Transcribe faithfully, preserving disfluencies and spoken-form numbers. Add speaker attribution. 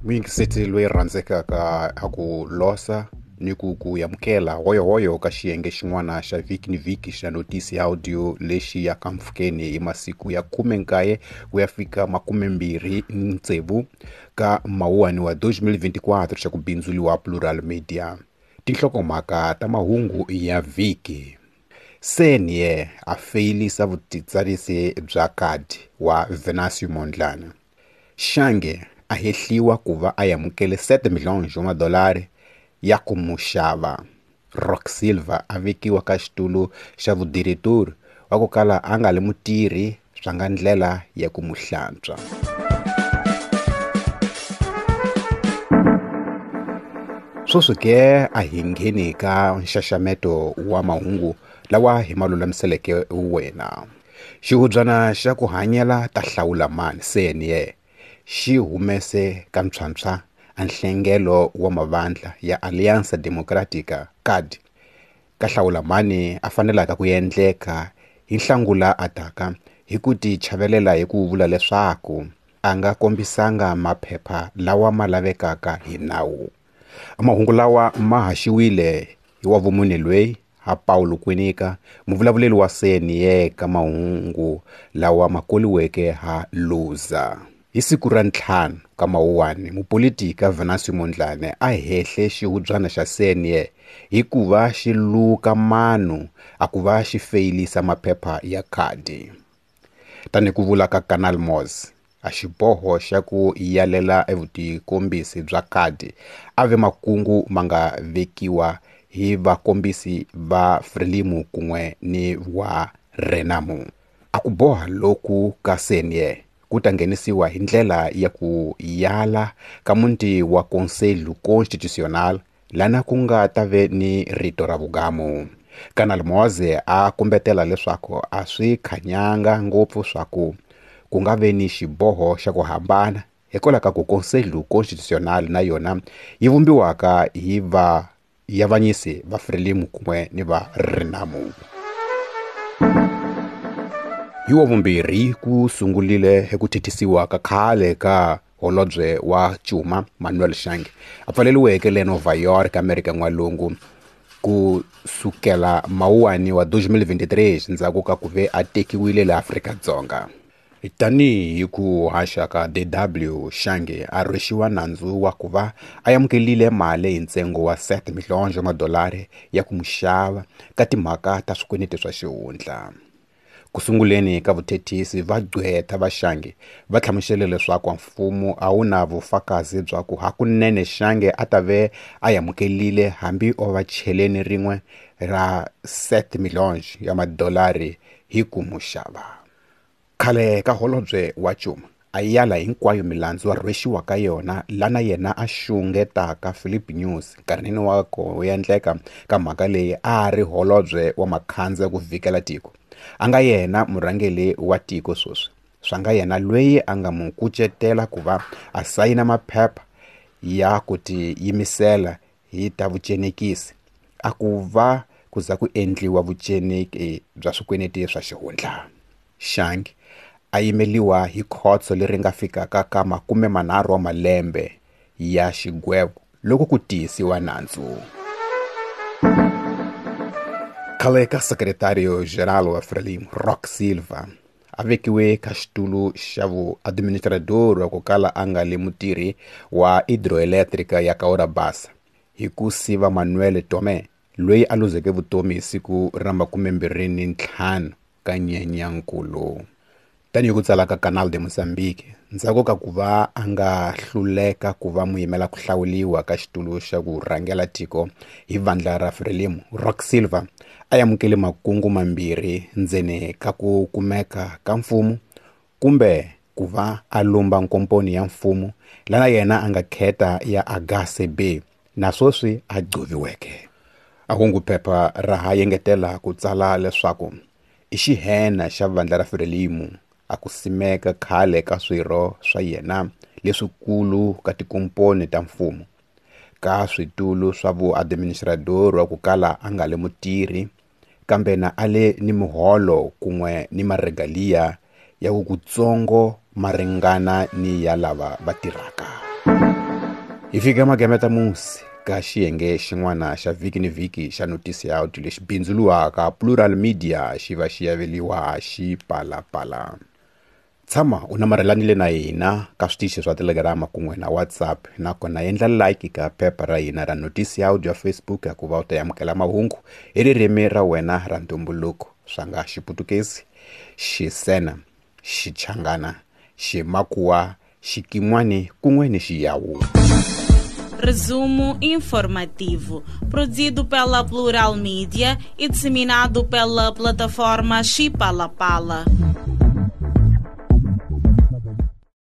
Speaker 1: Muyingiseti loyi rhandzekaka a ku losa ni ku ku amukela hoyohoyo ka xiyenge xin'wana xa vhiki ni vhiki xa notisi ya audio lexi ya ka mpfhukeni hi masiku ya khume nkaye ku ya fika makumembirhi tsevu ka mawuwani wa twenty twenty-four xa ku bindzuriwa Plural Media. Tinhlokomhaka ta mahungu ya vhiki. C N E a feyilisa vutitsarisi bya kadi wa Venancio Mondlane. Shange a hehliwa ku va a amukele seven milhões wa madolari ya ku mu xava. Rock Silva a vekiwa ka xitulu xa vudiretori wa ku kala a nga li mutirhi swa nga ndlela ya ku mu hlantswa. Sweswi ke a hi ngheni ka nxaxameto wa mahungu lawa hi ma lulamiseleke wena. Xihubyana xa ku hanyela ta hlawula mani C N E xi humese ka ntshwantshwa a nhlengelo wa mavandla ya Aliança Democrática C A D ka hlawula mani a fanelaka ku endleka hi nhlangula ataka hi ku ti chavelela hi ku vula leswaku a nga kombisanga maphepha lawa ma lavekaka hi nawu. Mahungu lawa ma haxiwile hi wa vumune loyi ha Paulo Kwinika, muvulavuleri wa C N E ka mahungu lawa ma koliweke ha Luza. Hi siku ra ntlhanu ka Mawuwani, mupolitika Venancio Mondlane a hehle xihubyana xa C N E hikuva xi luka mano a ku va xi feyilisa maphepha ya khadi. Tanihi ku vula ka Canal Moz, a xiboho xa ku yalela evutikombisi bya khadi a ve makungu ma nga vekiwa hi vakombisi va Frelimo kun'we ni wa Renamo. A ku boha loku ka C N E ku ta nghenisiwa hi ndlela ya ku yala ka muti wa Conselho Constitucional lana ku nga ta ve ni rito ra vugamu. Canal Moz a kumbetela leswaku a swi khanyanga ngopfu swa ku ku nga ve ni xiboho xa ku hambana hikwalaho ka ku Conselho Constitucional na yona yi vumbiwaka hi va yavanyisi va Frelimo kun'we ni va Renamo. Hi wa vumbirhi ku sungurile eku thethisiwa ka khale ka holobye wa Cuma Manuel Shange a pfaleriweke le Nova York, Amerika N'walungu ku sukela Mawuwani wa twenty twenty-three ndzhaku ka ku ve a tekiwile le Afrika-Dzonga. Tanihi ku haxa ka D W Shange a rhwexiwa nandzu wa ku va a amukelile mali hi ntsengo wa seven milhões wa madolari ya ku mu xava ka timhaka ta swikweleti swa xihundla. Ku sunguleni ka vuthethisi va gqwetha va Shange va hlamusele leswaku mfumo a wu na vufakazi bya ku hakunene Shange a ta ve a amukelile hambi o va cheleni rin'we ra seven milhões ya madolari hi ku mu xava. Khale ka holobye wa Cuma a yala hinkwayo milandzu a rhwexiwa ka yona lana yena a xungetaka Philip News nkarhini wa ku endleka ka mhaka leyi a ri holobye wa makhandza ku vikela tiko. A nga yena murhangeri wa tiko sweswi, swa nga yena loyi a nga mu kucetela ku va a sayina maphepha ya ku tiyimisela hi ta vucenekisi a ku va ku za ku endliwa vuceneki bya swikweleti swa xihundla. Shange a yimeliwa hi khotso leri nga fikaka ka makume manharhu wa malembe ya xigwevo loko ku tiyisiwa nandzu. Khale ka Secretario Geral wa Frelimo Rock Silva a vekiwe ka xitulu xa vuadministrador wa ku kala a nga li mutirhi wa hidroelétrica ya Cahora Bassa hi ku siva Manuel Tomé loyi a luzeke vutomi hi siku ra makumembirhi ni ntlhanu ka Nyenyankulu. Tanihi ku tsala ka Canal de Mozambique, ndzhaku ka ku va a nga hluleka ku va muyimela ku hlawuriwa ka xitulu xa ku rhangela tiko hi vandla ra Frelimo, Rock Silva a amukele makungu mambirhi ndzeni ka ku kumeka ka mfumo kumbe ku va a lumba nkomponi ya mfumo lana yena a nga kheta ya H C B na sweswi a gcoviweke. A hunguphepha ra ha yengetela ku tsala leswaku i xihena xa vandla ra Frelimo a ku simeka khale ka swirho swa yena leswikulu ka tikomponi ta mfumo ka switulu swa vuadministrador wa ku kala a nga le mutirhi kambe na a le ni muholo kun'we ni maregalia ya kutsongo ma ringana ni ya lava va tirhaka. Hi fika magemeta musi ka xiyenge xin'wana xa vhiki ni vhiki xa notisi ya audio lexi bindzuluwaka Plural Media xi va xi yaveliwa Xipalapala. Tshama u namarhelanile na hina ka switichi swa Telegram kun'we na WhatsApp, nakona endla like ka phepha ra hina ra notisi ya audio ya Facebook ku va u ta amukela mahungu hi ririmi ra wena ra ntumbuluko, swa nga Xiputukezi, Xisena, Xichangana, Ximakuwa, Xikin'wani kun'we ni Xiyawu.
Speaker 2: Resumo informativo, produzido pela Plural Media e disseminado pela plataforma Xipalapala.